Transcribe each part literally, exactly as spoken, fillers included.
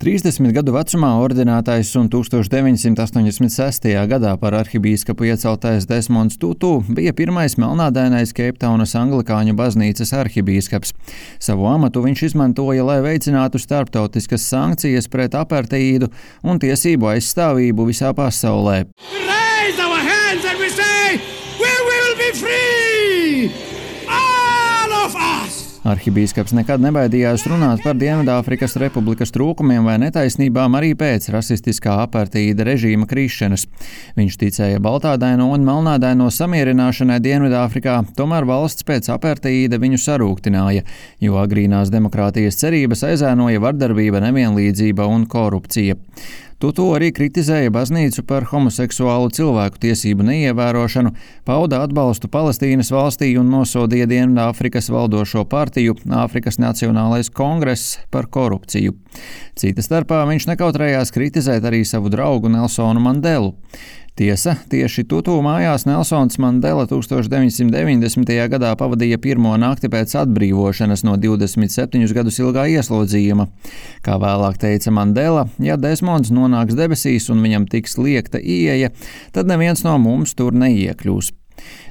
trīsdesmit gadu vecumā ordinētais un tūkstoš deviņsimt astoņdesmit sestajā gadā par arhibīskapu ieceltais Desmonds Tutu bija pirmais melnādainais Keiptaunas anglikāņu baznīcas arhibīskaps. Savu amatu viņš izmantoja, lai veicinātu starptautiskas sankcijas pret aparteīdu un tiesību aizstāvību visā pasaulē. Arhibīskaps nekad nebaidījās runāt par Dienvidāfrikas Republikas trūkumiem vai netaisnībām arī pēc rasistiskā aparteīda režīma krišanas. Viņš ticēja baltādaino un melnādaino samierināšanai Dienvidāfrikā, tomēr valsts pēc aparteīda viņu sarūktināja, jo agrīnās demokrātijas cerības aizēnoja vardarbība, nevienlīdzība un korupcija. Tutu arī kritizēja baznīcu par homoseksuālu cilvēku tiesību neievērošanu, pauda atbalstu Palestīnas valstī un nosodīja Dienvidāfrikas valdošo partiju Āfrikas Nacionālais kongress par korupciju. Cita starpā viņš nekautrējās kritizēt arī savu draugu Nelsonu Mandelu. Tiesa, tieši Tutu mājās Nelsons Mandela tūkstoš deviņsimt deviņdesmitajā gadā pavadīja pirmo nakti pēc atbrīvošanas no divdesmit septiņus gadus ilgā ieslodzījuma. Kā vēlāk teica Mandela, ja Desmonds nonāks debesīs un viņam tiks liekta ieeja, tad neviens no mums tur neiekļūs.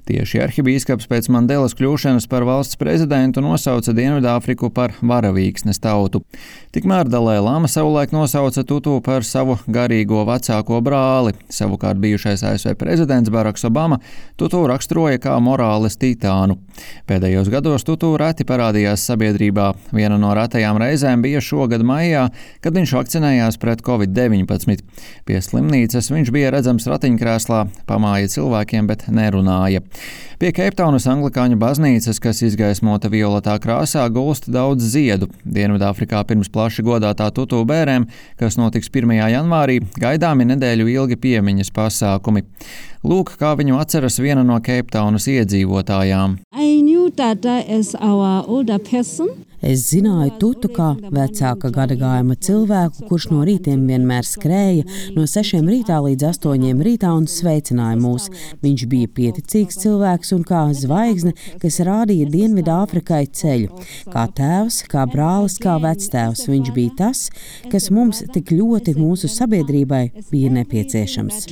Tieši arhibīskaps pēc Mandelas kļūšanas par valsts prezidentu nosauca Dienvidāfriku par varavīksnes tautu. Tikmēr Dalai Lama savulaik nosauca Tutu par savu garīgo vecāko brāli. Savukārt bijušais A S V prezidents Baraks Obama Tutu raksturoja kā morāles titānu. Pēdējos gados Tutu reti parādījās sabiedrībā. Viena no retajām reizēm bija šogad maijā, kad viņš vakcinējās pret covid deviņpadsmit. Pie slimnīcas viņš bija redzams ratiņkrēslā, pamāja cilvēkiem, bet nerunāja. Pie Keiptaunas anglikāņu baznīcas, kas izgaismota violetā krāsā, gulst daudz ziedu. Dienvidāfrikā pirms plaši godātā Tutu bērēm, kas notiks pirmajā janvārī, gaidāmi nedēļu ilgi piemiņas pasākumi. Lūk, kā viņu atceras viena no Keiptaunas iedzīvotājām. Es zināju Tutu kā vecāka gadagājuma cilvēku, kurš no rītiem vienmēr skrēja no sešiem rītā līdz astoņiem rītā un sveicināja mūs. Viņš bija pieticīgs cilvēks un kā zvaigzne, kas rādīja Dienvidāfrikai ceļu. Kā tēvs, kā brālis, kā vectēvs, viņš bija tas, kas mums tik ļoti mūsu sabiedrībai bija nepieciešams.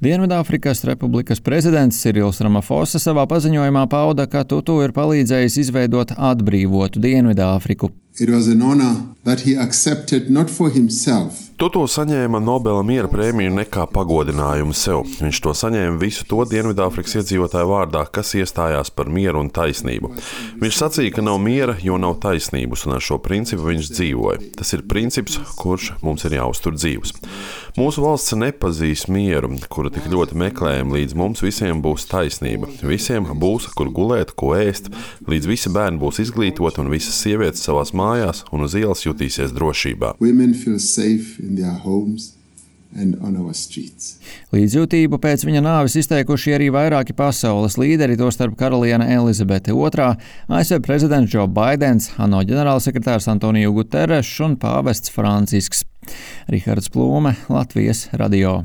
Dienvidāfrikas Republikas prezidents Sirils Ramafosa savā paziņojumā pauda, ka Tutu ir palīdzējis izveidot atbrīvotu Dienvidāfriku. It was an honor that he accepted not for himself. Tutu saņēma Nobela miera prēmiju ne kā pagodinājumu sev. Viņš to saņēma visu to Dienvidāfrikas iedzīvotāju vārdā, kas iestājās par mieru un taisnību. Viņš sacīja, ka nav miera, jo nav taisnības, un ar šo principu viņš dzīvoja. Tas ir princips, kurš mums ir jāuztur dzīvs. Mūsu valsts nepazīs mieru, kuru tik ļoti meklējam, līdz mums visiem būs taisnība. Visiem būs, kur gulēt, ko ēst, līdz visi bērni būs izglītoti un visas sievietes savās mājās un uz ielas jutīsies drošībā. Līdzjūtību pēc viņa nāves izteikuši arī vairāki pasaules līderi, tostarp karaliene Elizabete otrā, A S V prezidents Džo Baidens, ANO ģenerālsekretārs Antoniju Guterešs un pāvests Francisks. Rihards Plūme, Latvijas radio.